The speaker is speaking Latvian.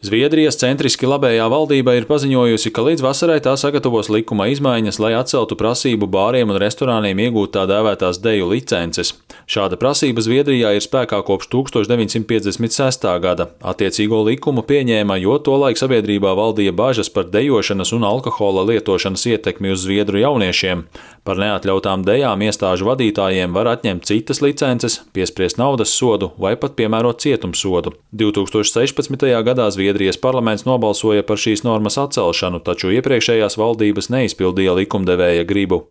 Zviedrijas centriski labējā valdība ir paziņojusi, ka līdz vasarai tā sagatavos likuma izmaiņas, lai atceltu prasību bāriem un restorāniem iegūt tā dēvētās deju licences. Šāda prasība Zviedrijā ir spēkā kopš 1956. gada. Attiecīgo likumu pieņēma, jo tolaik sabiedrībā valdīja bažas par dejošanas un alkohola lietošanas ietekmi uz zviedru jauniešiem. Par neatļautām dejām iestāžu vadītājiem var atņemt citas licences, piespriest naudas sodu vai pat piemērot cietumsodu. 2016. gadā Zviedrijas parlaments nobalsoja par šīs normas atcelšanu, taču iepriekšējās valdības neizpildīja likumdevēja gribu.